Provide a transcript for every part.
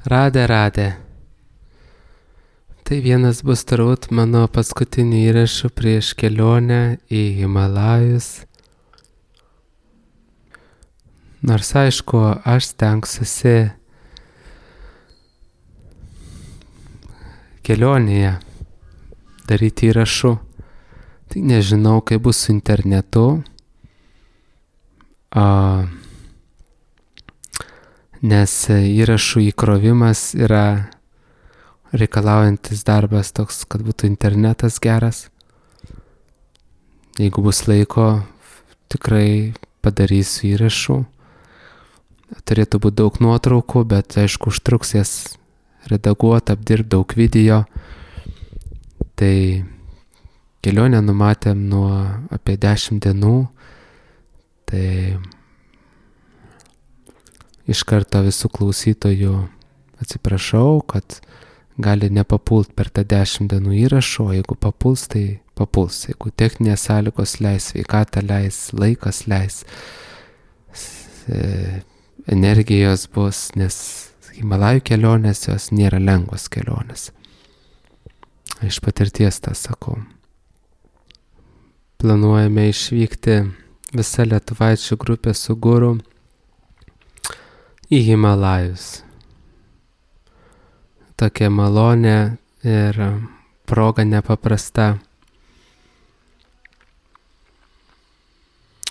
Radė. Tai vienas bus turbūt mano paskutinių įrašų prieš kelionę į Himalajus. Nors aišku, aš stengsiuosi kelionėje daryti įrašų. Tai nežinau, kaip bus su internetu. Nes įrašų įkrovimas yra reikalaujantis darbas toks, kad būtų internetas geras. Jeigu bus laiko, tikrai padarysiu įrašų. Turėtų būti daug nuotraukų, bet aišku, užtruks jas redaguoti, apdirbti daug video. Tai kelionę numatėm nuo apie 10 dienų. Tai iš karto visų klausytojų atsiprašau, kad gali nepapult per tą 10 dienų įrašų, o jeigu papuls, tai papuls. Jeigu techninės sąlygos leis, sveikata leis, laikas leis, energijos bus, nes Himalajų kelionės jos nėra lengvos kelionės. Iš patirties tą sakau. Planuojame išvykti visa lietuvaičių grupė su guru į Himalajus. Tokia malonė ir proga nepaprasta.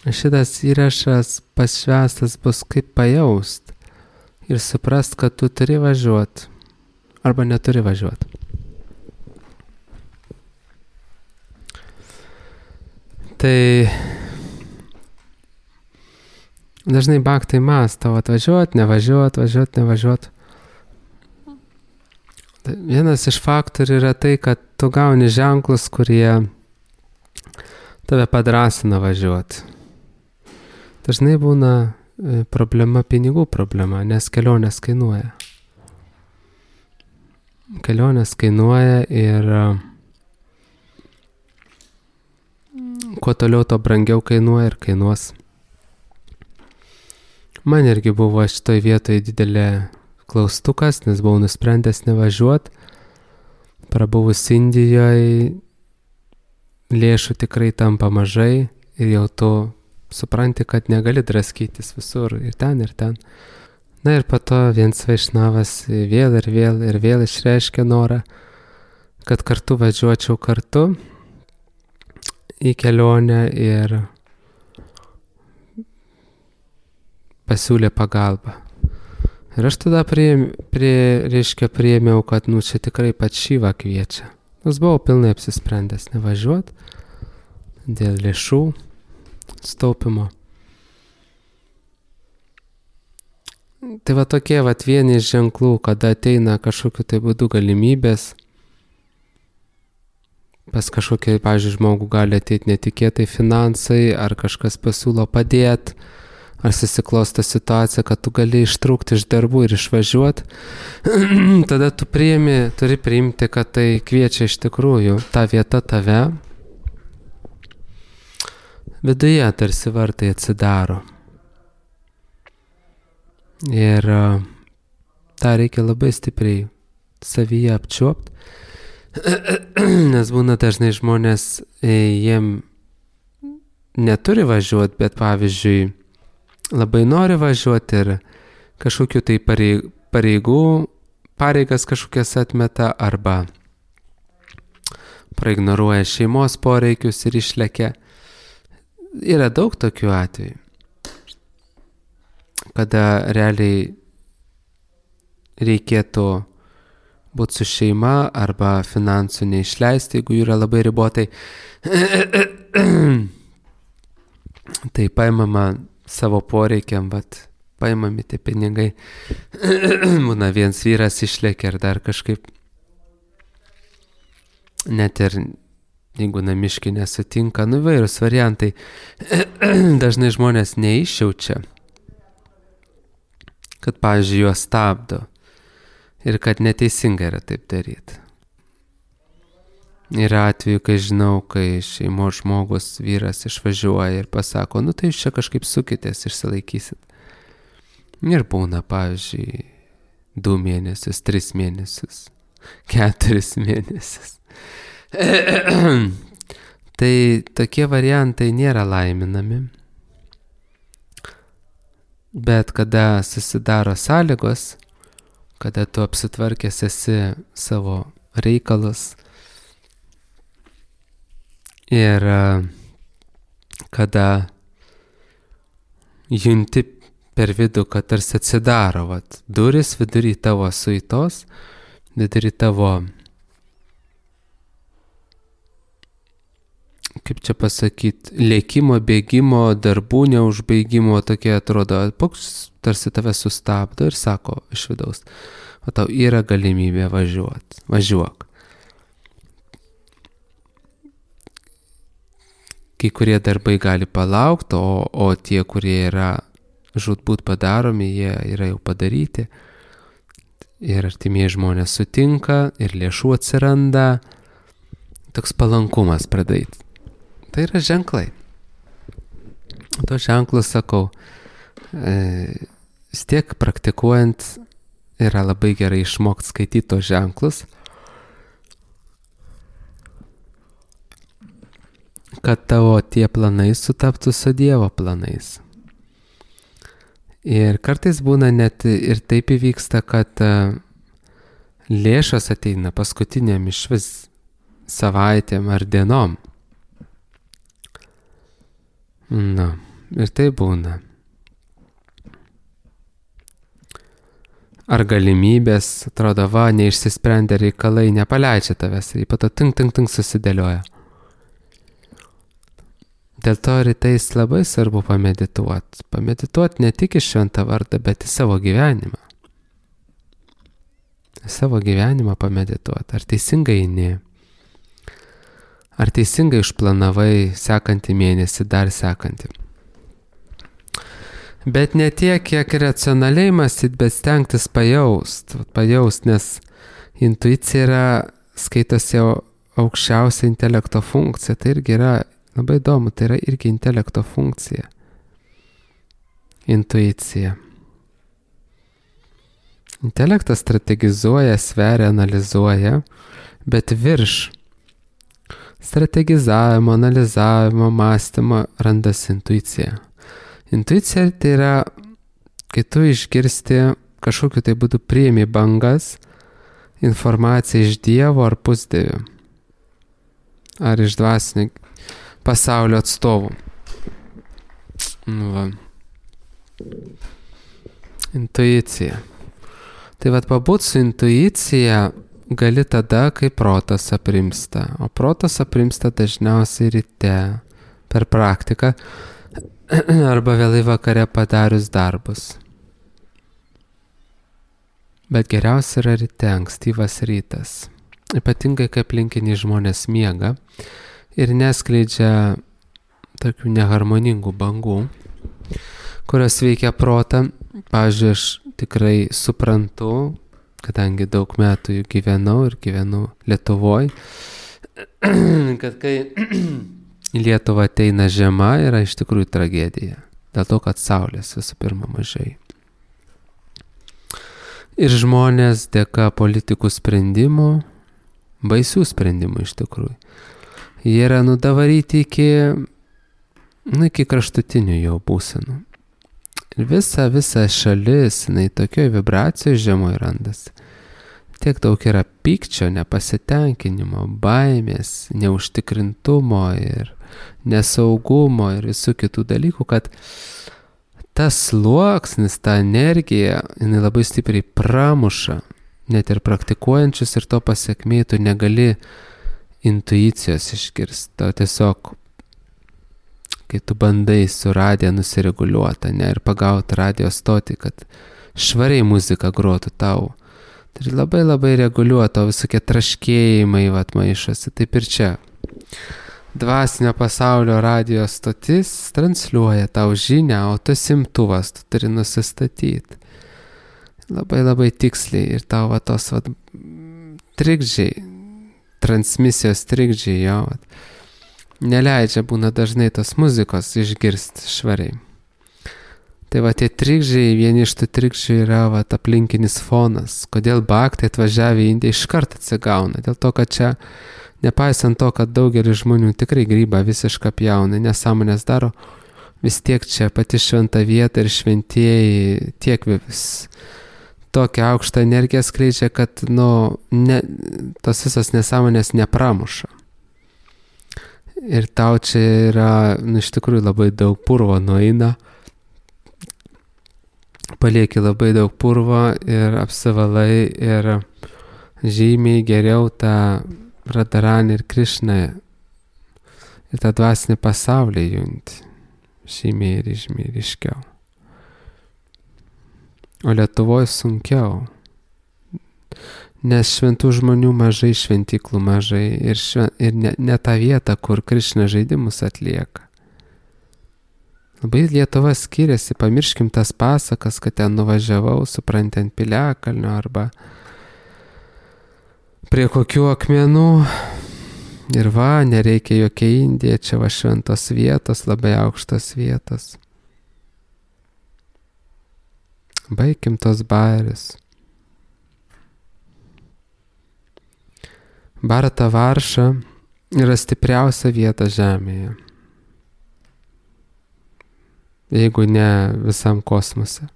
Šitas įrašas pašvęstas bus kaip pajaust ir suprast, kad tu turi važiuoti arba neturi važiuoti. Tai dažnai bhaktai mąsto, atvažiuot, nevažiuot. Vienas iš faktorių yra tai, kad tu gauni ženklus, kurie tave padrasina važiuoti. Dažnai būna problema, pinigų problema, nes kelionės kainuoja. Kelionės kainuoja ir kuo toliau, to brangiau kainuoja ir kainuos. Man irgi buvo šitoj vietoje didelė klaustukas, nes buvau nusprendęs nevažiuoti. Prabuvus Indijoje lėšų tikrai tampa mažai ir jau tu supranti, kad negali draskytis visur ir ten. Na ir po to viens vaišnavas vėl išreiškė norą, kad kartu važiuočiau kartu į kelionę ir pasiūlė pagalbą. Ir aš tada priėmiau, kad čia tikrai pats Šiva kviečia. Nors buvau pilnai apsisprendęs nevažiuoti dėl lėšų staupimo. Tai va tokie vieni iš ženklų, kada ateina kažkokiu tai būdu galimybės. Pas kažkokį, pavyzdžiui, žmogų gali ateiti netikėtai finansai, ar kažkas pasiūlo padėti, ar susiklosto situacija, kad tu gali ištrūkti iš darbų ir išvažiuoti. Tada tu turi priimti, kad tai kviečia iš tikrųjų ta vieta tave. Viduje tarsi vartai atsidaro. Ir tą reikia labai stipriai savyje apčiuopti. Nes būna dažnai žmonės, jiem neturi važiuoti, bet pavyzdžiui, labai nori važiuoti ir kažkokiu tai pareigas kažkokias atmeta arba praignoruoja šeimos poreikius ir išlekia. Yra daug tokių atvejų, kada realiai reikėtų būti su šeima arba finansų neišleisti, jeigu yra labai ribotai. Tai paimama savo poreikiam, paimami tie pinigai. Būna vienas vyras išlėkia ir dar kažkaip. Net ir jeigu namiškiai nesutinka, įvairūs variantai. Dažnai žmonės neišjaučia, kad, pavyzdžiui, juos stabdo ir kad neteisinga yra taip daryti. Yra atveju, kai žinau, kai šeimos žmogus, vyras išvažiuoja ir pasako, tai jūs čia kažkaip sukitės, išsilaikysit. Ir būna, pavyzdžiui, 2 mėnesius, 3 mėnesius, 4 mėnesius. Tai tokie variantai nėra laiminami. Bet kada susidaro sąlygos, kada tu apsitvarkęs esi savo reikalus ir kada junti per vidų, kad tarsi atsidaro duris vidury tavo suitos, vidury tavo, kaip čia pasakyti, lėkimo, bėgimo, darbų neužbaigimo, tokie atrodo, tarsi tave sustabdo ir sako iš vidaus, o tau yra galimybė važiuok. Kai kurie darbai gali palaukti, o tie, kurie yra žūtbūt padaromi, jie yra jau padaryti. Ir artimieji žmonės sutinka, ir lėšų atsiranda, toks palankumas pradėti. Tai yra ženklai. To ženklus, sakau, vis tiek praktikuojant yra labai gerai išmokti skaityti tos ženklus, kad tavo tie planai sutaptų su Dievo planais. Ir kartais būna net ir taip įvyksta, kad lėšos ateina paskutiniam išvis savaitėm ar dienom. Ir tai būna. Ar galimybės, atrodo, neišsisprendė reikalai, nepaleidžia tavęs ir po to tink susidėlioja. Dėl to rytais labai svarbu pamedituoti. Pamedituoti ne tik į šventą vardą, bet į savo gyvenimą. Savo gyvenimą pamedituoti. Ar teisingai eini? Ar teisingai išplanavai sekantį mėnesį, dar sekantį? Bet ne tiek, kiek racionaliai mąstyti, bet stengtis pajaust, nes intuicija yra, skaitosi aukščiausia intelekto funkcija. Tai irgi yra labai įdomu, tai yra irgi intelekto funkcija. Intuicija. Intelektas strategizuoja, sveria, analizuoja, bet virš strategizavimo, analizavimo, mąstymo randasi intuicija. Intuicija tai yra, kai tu išgirsti kažkokiu tai būdu priimi bangas, informaciją iš Dievo ar pusdievių, ar iš dvasinio pasaulio atstovų. Intuicija. Tai pabūt su intuicija gali tada, kai protas aprimsta. O protas aprimsta dažniausiai ryte per praktiką arba vėlai vakare padarius darbus. Bet geriausia yra ryte, ankstyvas rytas. Ypatingai, kai aplinkiniai žmonės miega ir neskleidžia tokių neharmoningų bangų, kurios veikia protą. Pavyzdžiui, aš tikrai suprantu, kadangi daug metų gyvenau Lietuvoj, kad kai į Lietuvą ateina žiema, yra iš tikrųjų tragedija. Dėl to, kad saulės visų pirma mažai. Ir žmonės dėka politikų sprendimų, baisių sprendimų iš tikrųjų, jie yra nudavaryti iki kraštutinių jau būsenų. Ir visa šalis, tokioje vibracijoje žemoj randasi. Tiek daug yra pykčio, nepasitenkinimo, baimės, neužtikrintumo ir nesaugumo ir visų kitų dalykų, kad tas sluoksnis, ta energija, jinai labai stipriai pramuša net ir praktikuojančius ir to pasekmėj tu negali intuicijos išgirsti. Tau tiesiog, kai tu bandai su radija nusireguliuoti, ir pagauti radijo stotį, kad švariai muzika grotų tau, tai labai reguliuoto visokie traškėjimai maišosi. Taip ir čia. Dvasinio pasaulio radijo stotis transliuoja tau žinią, o tu imtuvas, tu turi nusistatyti. Labai tiksliai ir tau tos trikdžiai, transmisijos trikdžiai jo, neleidžia būna dažnai tos muzikos išgirsti švariai. Tai va tie trikdžiai, vieni iš tų trikdžių yra va aplinkinis fonas. Kodėl bhaktai atvažiavę į Indiją iškart atsigauna? Dėl to, kad čia, nepaisant to, kad daugelis žmonių tikrai grybą visiškai pjauna, nesąmonės daro, vis tiek čia pati šventa vieta ir šventieji tiek vis tokią aukštą energiją skleidžia, kad tos visos nesąmonės nepramuša. Ir tau čia yra, iš tikrųjų labai daug purvo nueina, palieki labai daug purvo ir apsivalai ir žymiai geriau tą Radharanį ir Krišną ir tą dvasinį pasaulį junti. Žymiai ryškiau. O Lietuvoje sunkiau. Nes šventų žmonių mažai, šventyklų mažai ir ne tą vietą, kur Krišna žaidimus atlieka. Labai Lietuva skiriasi, pamirškim tas pasakas, kad ten nuvažiavau, supranti, ant Piliakalnio arba prie kokių akmenų. Ir va, nereikia jokia Indija, čia va šventos vietos, labai aukštos vietos. Baigim tos bairius. Bharata Varša yra stipriausia vieta žemėje. Jeigu ne visam kosmose.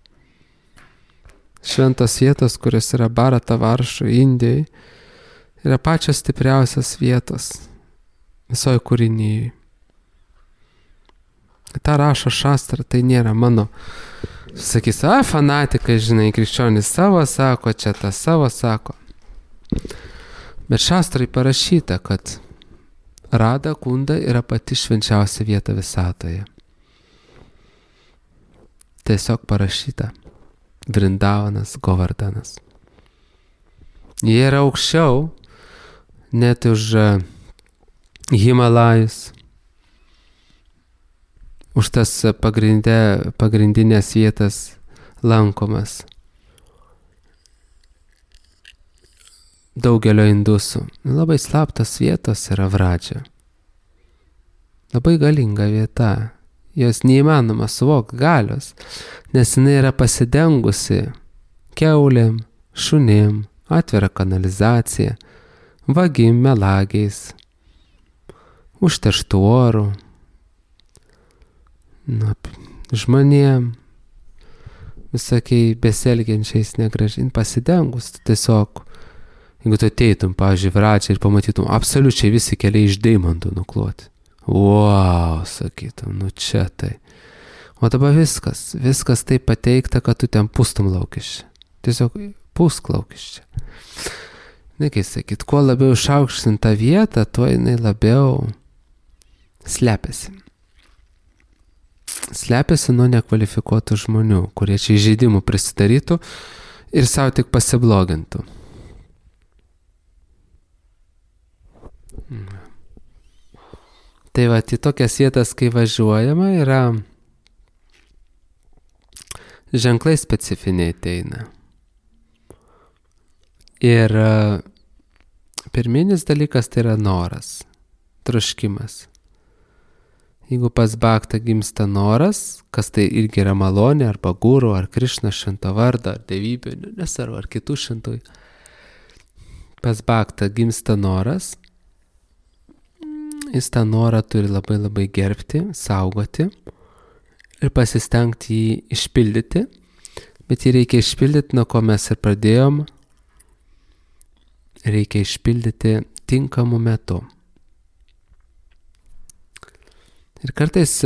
Šventos vietos, kurios yra Bharata Varša Indijai, yra pačios stipriausios vietos visoje kūrinyje. Ta rašo šastra, tai nėra mano, sakys, fanatikai, žinai, krikščionis savo sako, čia tas savo sako. Bet šastrai parašyta, kad Radha Kunda yra pati švenčiausia vieta visatoje. Tiesiog parašyta. Vrindavanas, Govardhanas. Jie yra aukščiau, net už Himalajus, už tas pagrindinės vietas lankomas daugelio indusų. Labai slaptos vietos yra Vradžia. Labai galinga vieta. Jos neįmanoma suvokti galios, nes jinai yra pasidengusi kiaulėm, šunim, atvira kanalizacija, vagim, melagiais, užterštų orų, žmonėm, visokiai beselgiančiais negražiai, pasidengus, tiesiog, jeigu tu ateitum, pavyzdžiui, Vradžią ir pamatytum, absoliučiai visi keliai iš deimantų nukloti. Wow, sakytum, čia tai. O dabar viskas taip pateikta, kad tu ten pustum laukiščia. Tiesiog pusk laukiščia. Kaip sakyt, kuo labiau išaukštin tą vietą, tuo jinai labiau slepiasi. Slepiasi nuo nekvalifikuotų žmonių, kurie čia įžeidimų prisidarytų ir savo tik pasiblogintų. Tai va, į tokias vietas, kai važiuojama, yra ženklai specifiniai ateina. Ir pirminis dalykas tai yra noras, troškimas. Jeigu pas bhaktą gimsta noras, kas tai irgi yra malonė, arba guru, ar Krišna švento vardą, ar dievybė, nesvarbu, ar kitų šventųjų. Pas bhaktą gimsta noras, jis tą norą turi labai labai gerbti, saugoti ir pasistengti jį išpildyti, bet jį reikia išpildyti, nuo ko mes ir pradėjom, reikia išpildyti tinkamu metu. Ir kartais,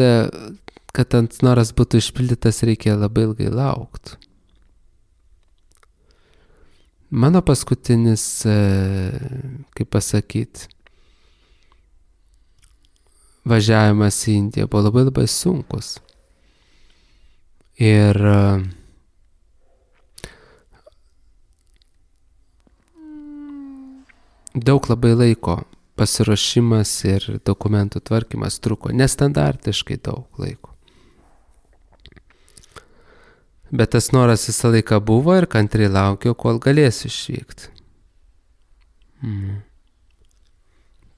kad ant noras būtų išpildytas, reikia labai ilgai laukti. Mano paskutinis, kaip pasakyti, važiavimas į Indiją buvo labai labai sunkus. Ir daug labai laiko pasiruošimas ir dokumentų tvarkymas truko, nestandartiškai daug laiko. Bet tas noras visą laiką buvo ir kantriai laukiau, kol galėsiu išvykti.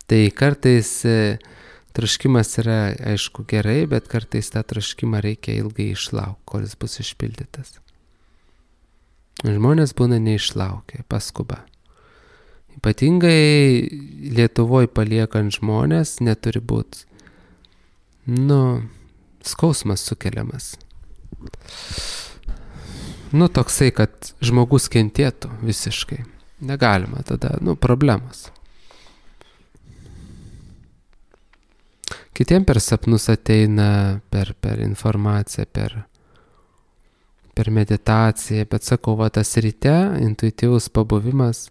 Tai kartais Troškimas yra, aišku, gerai, bet kartais tą troškimą reikia ilgai išlaukti, kol jis bus išpildytas. Žmonės būna neišlaukia, paskuba. Ypatingai Lietuvoje paliekant žmonės neturi būti, skausmas sukeliamas. Toksai, kad žmogus kentėtų visiškai. Negalima tada, problemos. Kitiem per sapnus ateina, per informaciją, per meditaciją, bet sakau, tas ryte intuityvus pabuvimas,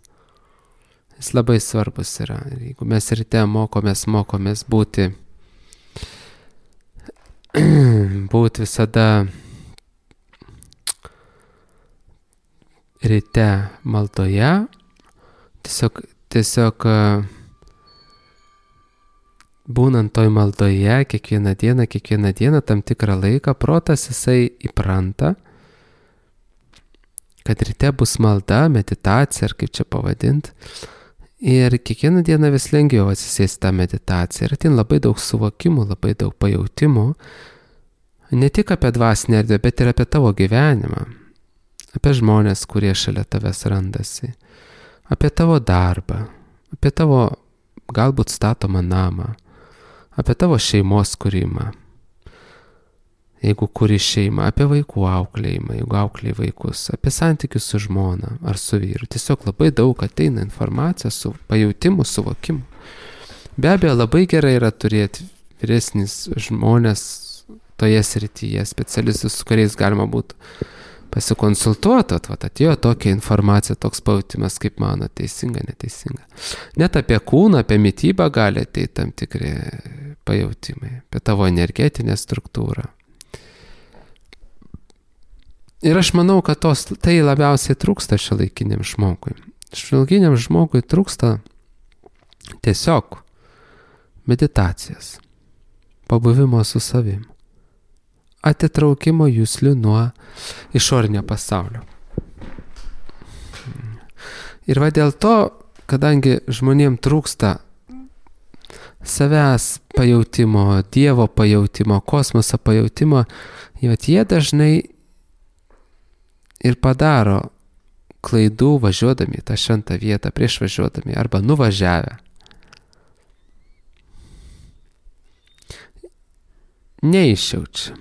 jis labai svarbus yra. Ir jeigu mes ryte mokomės būti visada ryte maldoje, tiesiog būnant toj maldoje kiekvieną dieną, tam tikrą laiką, protas jisai įpranta, kad ryte bus malda, meditacija, ar kaip čia pavadinti. Ir kiekvieną dieną vis lengviau atsisėsti tą meditaciją. Ir ateina labai daug suvokimų, labai daug pajautimų. Ne tik apie dvasinę erdvę, bet ir apie tavo gyvenimą. Apie žmonės, kurie šalia tavęs randasi. Apie tavo darbą. Apie tavo galbūt statomą namą. Apie tavo šeimos kūrimą. Jeigu kuri šeimą, apie vaikų auklėjimą, jeigu auklėjai vaikus, apie santykius su žmona ar su vyru. Tiesiog labai daug ateina informacijos su pajautimu, suvokimu. Be abejo, labai gerai yra turėti vyresnis žmonės toje srityje, specialistus, su kuriais galima būtų pasikonsultuoti, atėjo tokia informacija, toks pajautimas, kaip mano, teisinga, neteisinga. Net apie kūną, apie mitybą gali ateiti tam tikri pajautimai, apie tavo energetinę struktūrą. Ir aš manau, kad tai labiausiai trūksta šiuolaikiniam žmogui. Šiuolaikiniam žmogui trūksta tiesiog meditacijos, pabuvimo su savim, atitraukimo juslių nuo išorinio pasaulio. Ir dėl to, kadangi žmonėm trūksta savęs pajautimo, Dievo pajautimo, kosmoso pajautimo, jie dažnai ir padaro klaidų važiuodami į tą šventą vietą, prieš važiuodami arba nuvažiavę. Neišjaučia.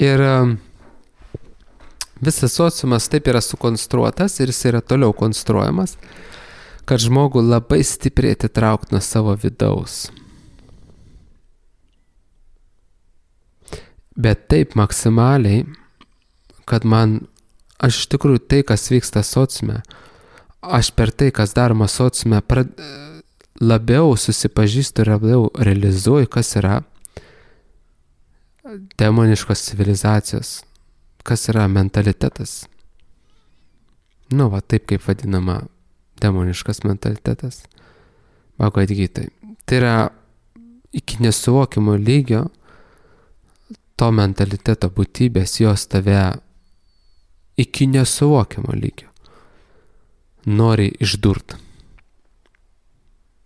Ir visas sociumas taip yra sukonstruotas ir jis yra toliau konstruojamas, kad žmogų labai stipriai atitraukti nuo savo vidaus. Bet taip maksimaliai, kad aš iš tikrųjų tai, kas vyksta sociume, aš per tai, kas daroma sociume, labiau susipažįstu ir labiau realizuoju, kas yra demoniškos civilizacijos, kas yra mentalitetas. Taip kaip vadinama demoniškas mentalitetas. Bhagavad Gitai. Tai yra iki nesuvokimo lygio to mentaliteto būtybės, jos tave iki nesuvokimo lygio nori išdurt,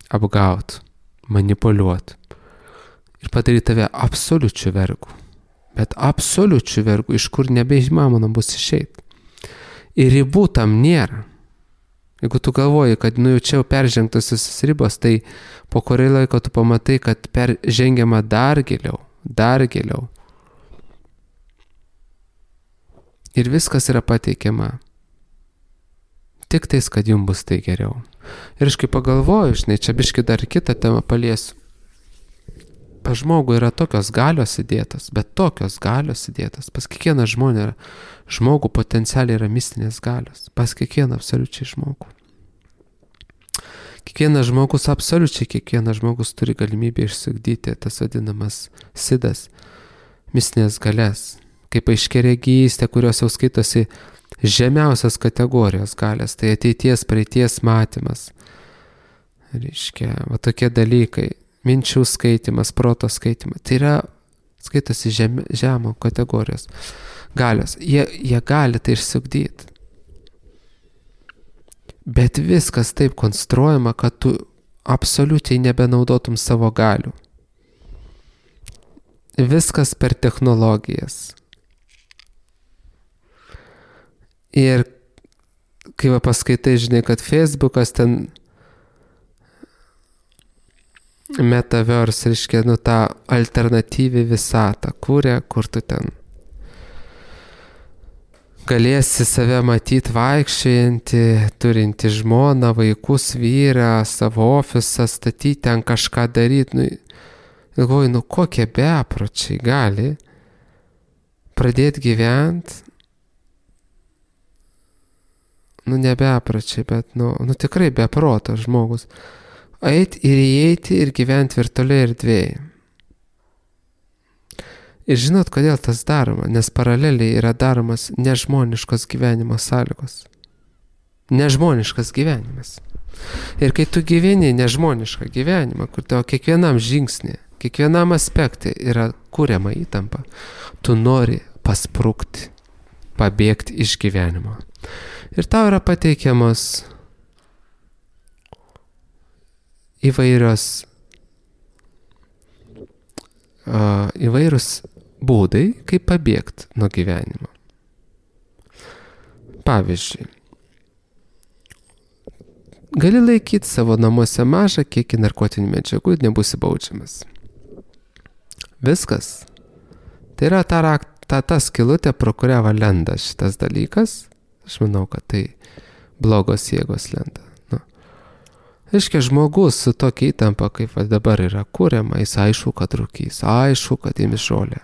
apgaut, manipuliuot ir padaryti tave absoliučiu vergu. Bet absoliučiu vergu, iš kur nebeįmanoma bus išeiti. Ir ribų tam nėra. Jeigu tu galvoji, kad jau čia peržengtos visos ribos, tai po kurio laiko tu pamatai, kad žengiama dar giliau. Ir viskas yra pateikiama. Tik tais, kad jums bus tai geriau. Ir aš kai pagalvoju, čia biški dar kitą temą paliesiu. Pas žmogų yra tokios galios įdėtos, bet tokios galios įdėtos. Pas kiekvieną žmogų potencialiai yra mistinės galios. Pas kiekvieną absoliučiai žmogų. Kiekvienas žmogus turi galimybę išsiugdyti tas vadinamas sidas, mistinės galias. Kaip aiškiaregystė, kurios jau skaitosi žemiausios kategorijos galias, tai ateities, praeities matymas. Reiškia, tokie dalykai. Minčių skaitimas, proto skaitimas. Tai yra, skaitosi žemo kategorijos galios. Jie gali tai išsiugdyti. Bet viskas taip konstruojama, kad tu absoliučiai nebenaudotum savo galių. Viskas per technologijas. Ir kai paskaitai, žinai, kad Facebookas ten metaverse, reiškia, tą alternatyvį visatą kūrė, kur tu ten galėsi save matyti vaikščiojantį, turinti žmoną, vaikus, vyrą, savo ofisą, statyti ten kažką daryti. Galvoju, kokie bepročiai gali pradėti gyventi, ne bepročiai, bet, tikrai beprotas žmogus, eiti ir įeiti ir gyventi virtualiai erdvėje. Ir žinot, kodėl tas daroma? Nes paraleliai yra daromas nežmoniškos gyvenimo sąlygos. Nežmoniškas gyvenimas. Ir kai tu gyveni nežmonišką gyvenimą, kur tavo kiekvienam žingsnį, kiekvienam aspektui yra kuriama įtampa, tu nori pasprukti, pabėgti iš gyvenimo. Ir tau yra pateikiamos įvairūs būdai, kaip pabėgti nuo gyvenimo. Pavyzdžiui, gali laikyti savo namuose mažą kiekį narkotinių medžiagų ir nebusi baudžiamas. Viskas. Tai yra ta skylutė, pro kurią lenda šitas dalykas. Aš manau, kad tai blogos jėgos lenda. Reiškia, žmogus su tokia įtampa, kaip dabar yra kuriama, jis aišku, kad rūkys, aišku, kad ims žolę.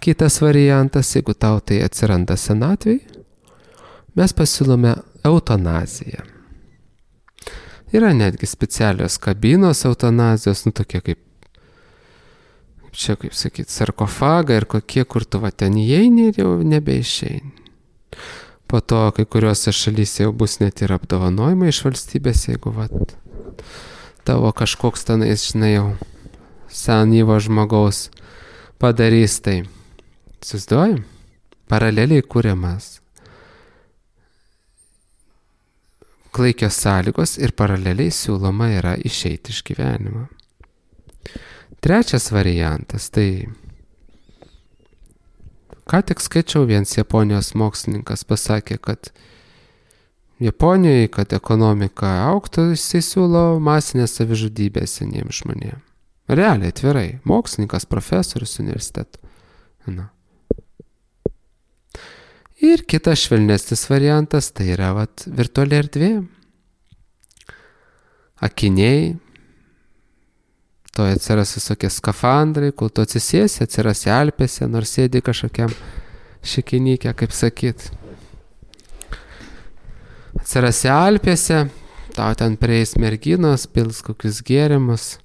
Kitas variantas, jeigu tau tai atsiranda senatvėj, mes pasiūlome eutanaziją. Yra netgi specialios kabinos eutanazijos, tokie kaip sarkofagai ir kokie, kur tu ten įeini ir jau nebeišeini. Po to kai kuriuose šalyse jau bus net ir apdovanojimai iš valstybės, jeigu tavo kažkoks tenais, žinai, jau senyvo žmogaus padarys tai. Įsivaizduoji? Paraleliai kuriamas klaikios sąlygos ir paraleliai siūloma yra išeiti iš gyvenimo. Trečias variantas, tai ką tik skaičiau, vienas Japonijos mokslininkas pasakė, kad Japonijoje, kad ekonomika augtų, jisai siūlo masinės savižudybės seniems žmonėms. Realiai, atvirai, mokslininkas, profesorius universitetų. Ir kitas švelnesnis variantas, tai yra virtuali erdvė. Akiniai, to atsiras visokie skafandrai, kol tu atsisėsi, atsiras Alpėse, nors sėdi kažkokiam šikinyke, kaip sakyt. Atsiras Alpėse, tau ten prieis merginos, pils kokius gėrimus.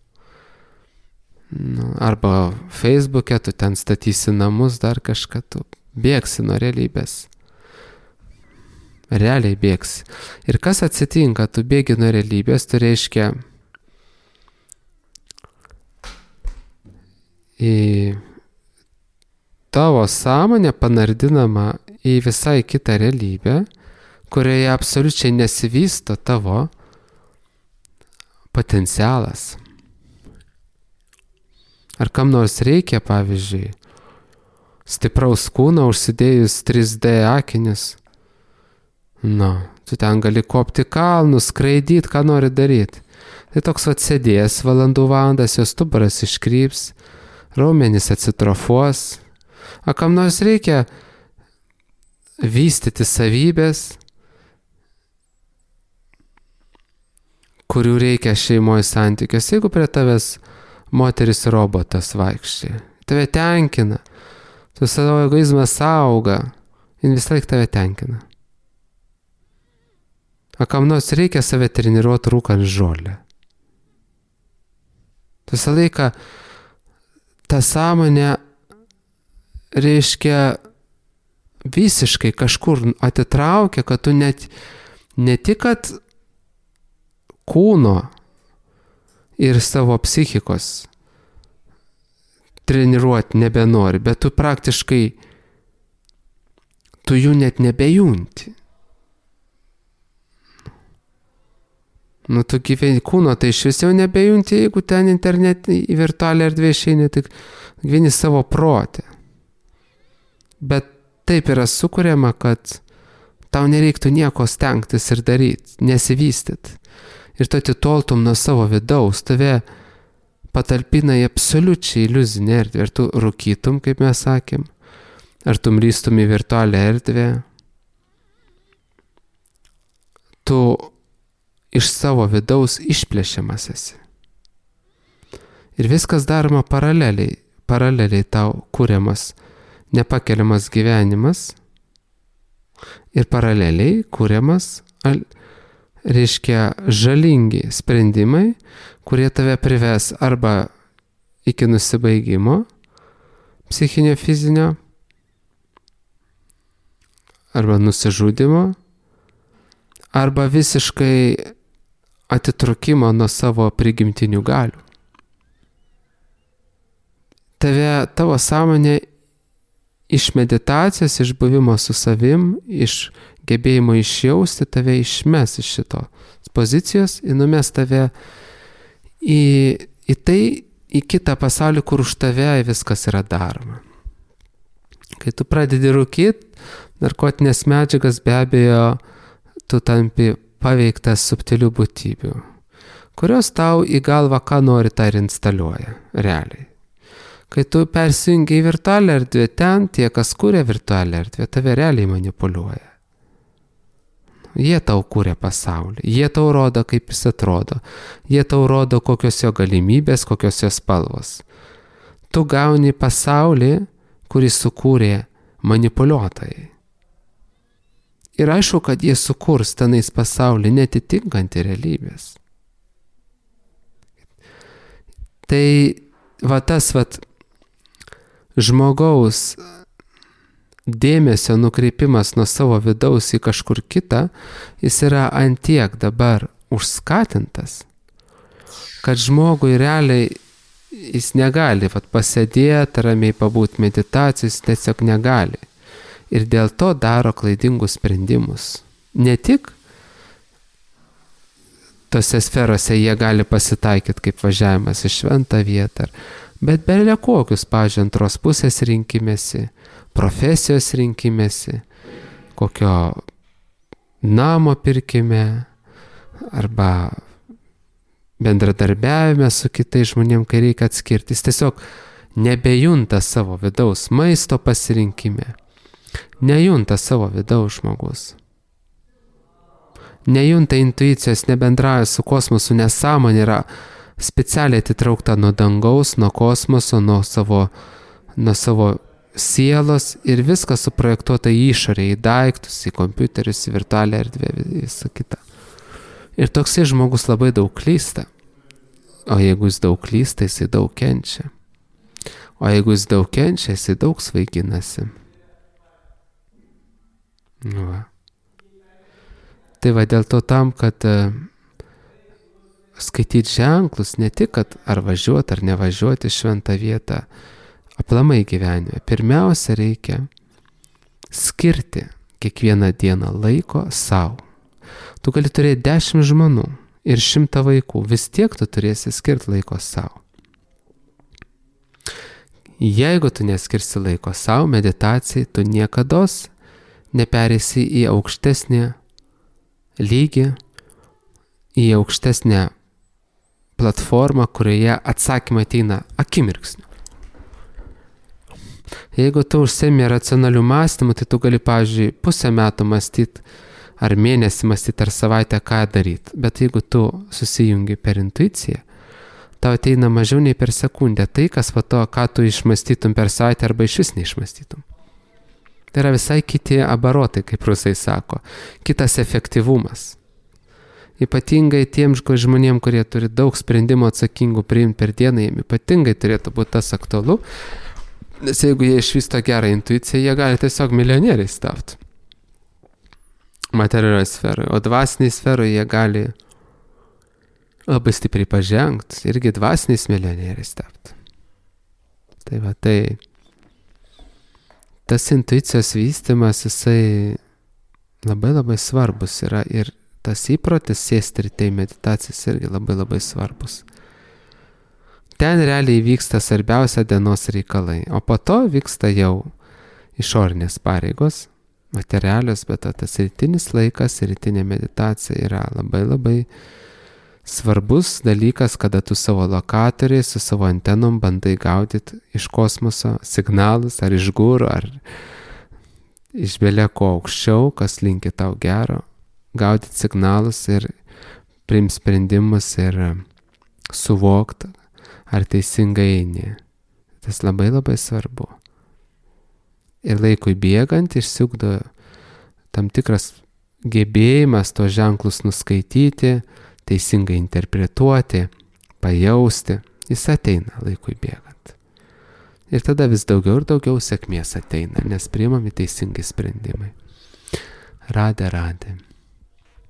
Arba Facebook'e tu ten statysi namus, dar kažką, tu bėgsi nuo realybės. Realiai bėgsi. Ir kas atsitinka, tu bėgi nuo realybės, tu reiškia į tavo sąmonę panardinama į visai kitą realybę, kurioje absoliučiai nesivysto tavo potencialas. Ar kam nors reikia, pavyzdžiui, stipraus kūno užsidėjus 3D akinius? Tu ten gali kopti kalnus, skraidyti, ką nori daryti. Tai toks sėdės valandas, jos stuburas iškryps, raumenys atsitrofuos. A kam nors reikia vystyti savybės, kurių reikia šeimoje santykios. Jeigu prie tavęs moteris robotas vaikščiai, tave tenkina, tu savo egoizmas auga, jin vis laik tave tenkina. A kam nors reikia save treniruoti rūkant žolę. Tu visą laiką ta sąmonė reiškia visiškai kažkur atitraukia, kad tu net ne tik, kad kūno ir savo psichikos treniruoti nebenori, bet tu praktiškai tu jų net nebejunti. Nu, tu gyveni kūno, tai iš vis jau nebejunti, jeigu ten internetinį į virtualią erdvę išeini, tik gyveni savo protę. Bet taip yra sukuriama, kad tau nereiktų nieko stengtis ir daryti, nesivystyti. Ir tu atitoltum nuo savo vidaus, tave patalpina į absoliučiai iliuzinę erdvę. Ir tu rūkytum, kaip mes sakėm, ar tu mrystum į virtualią erdvę. Tu iš savo vidaus išplėšiamas esi. Ir viskas daroma paraleliai tau kuriamas nepakeliamas gyvenimas ir paraleliai kuriamas, reiškia, žalingi sprendimai, kurie tave prives arba iki nusibaigimo psichinio, fizinio, arba nusižudimo, arba visiškai atitrūkimo nuo savo prigimtinių galių. Tavo sąmonė iš meditacijos, iš buvimo su savim, iš gebėjimo išjausti, tave išmes iš šitos pozicijos ir numes tave į kitą pasaulį, kur už tave viskas yra daroma. Kai tu pradedi rūkyti, narkotinės medžiagas, be abejo, tu tampi paveiktas subtilių būtybių, kurios tau į galvą ką nori, tą ir instaliuoja, realiai. Kai tu persijungi į virtualią erdvę, ten tie, kas kūrė virtualią erdvę, tave realiai manipuliuoja. Jie tau kūrė pasaulį, jie tau rodo, kaip jis atrodo, jie tau rodo, kokios jo galimybės, kokios jo spalvos. Tu gauni pasaulį, kurį sukūrė manipuliuotojai. Ir aišku, kad jie sukurs tenais pasaulį netitinkantį realybės. Tai tas žmogaus dėmesio nukreipimas nuo savo vidaus į kažkur kitą, jis yra antiek dabar užskatintas, kad žmogui realiai jis negali pasėdėti, ramiai pabūti meditacijos, tiesiog negali. Ir dėl to daro klaidingus sprendimus. Ne tik tose sferose jie gali pasitaikyti kaip važiavimas į šventą vietą, bet belia kokius, pavyzdžiui, antros pusės rinkimėsi, profesijos rinkimėsi, kokio namo pirkime arba bendradarbiavime su kitais žmonėm, kai reikia atskirti. Jis tiesiog nebejunta savo vidaus maisto pasirinkime. Nejunta savo vidaus žmogus. Nejunta intuicijos, nebendrauja su kosmosu, nes sąmonė yra specialiai atitraukta nuo dangaus, nuo kosmoso, nuo savo sielos ir viskas suprojektuota į išorę, į daiktus, į kompiuterius, į virtualią erdvę, visą kitą. Ir toksai žmogus labai daug klysta. O jeigu jis daug klysta, jisai daug kenčia. O jeigu jis daug kenčia, jisai daug svaiginasi. Va. Tai va dėl to tam, kad skaityti ženklus, ne tik, kad ar važiuoti, ar nevažiuoti šventą vietą, aplamai gyvenime. Pirmiausia, reikia skirti kiekvieną dieną laiko savo. Tu gali turėti 10 žmonų ir 100 vaikų, vis tiek tu turėsi skirti laiko savo. Jeigu tu neskirsi laiko savo meditacijai, tu niekados neperėsi į aukštesnį lygį, į aukštesnę platformą, kurioje atsakymai ateina akimirksniu. Jeigu tu užsiemi racionalių mąstymų, tai tu gali, pavyzdžiui, pusę metų mąstyti, ar mėnesį mąstyti, ar savaitę ką daryti. Bet jeigu tu susijungi per intuiciją, tau ateina mažiau nei per sekundę tai, kas po to, ką tu išmąstytum per savaitę arba iš vis neišmąstytum. Tai yra visai kiti abarotai, kaip rusai sako, kitas efektyvumas. Ypatingai tiems žmonėms, kurie turi daug sprendimų atsakingų priimti per dieną, jiems ypatingai turėtų būti tas aktualu, nes jeigu jie išvysto gerą intuiciją, jie gali tiesiog milijonieriais tapti materialioje sferoje, o dvasiniai sferoje jie gali labai stipriai pažengti, irgi dvasiniais milijonieriais tapti. Tai va, tai tas intuicijos vystymas, jisai labai labai svarbus yra ir tas įprotis sėsti ryte į meditacijas irgi labai labai svarbus. Ten realiai vyksta svarbiausia dienos reikalai, o po to vyksta jau išorinės pareigos, materialios, bet tas rytinis laikas, rytinė meditacija yra labai labai svarbus dalykas, kada tu savo lokatoriai su savo antenom bandai gaudyti iš kosmoso signalus, ar iš gūrų, ar iš beleko aukščiau, kas linki tau gero, gaudyti signalus ir priimti sprendimus ir suvokti, ar teisingai eini. Tas labai labai svarbu. Ir laikui bėgant išsiugdo tam tikras gebėjimas tos ženklus nuskaityti, teisingai interpretuoti, pajausti. Jis ateina laikui bėgant. Ir tada vis daugiau ir daugiau sėkmės ateina, nes priimami teisingi sprendimai. Radė.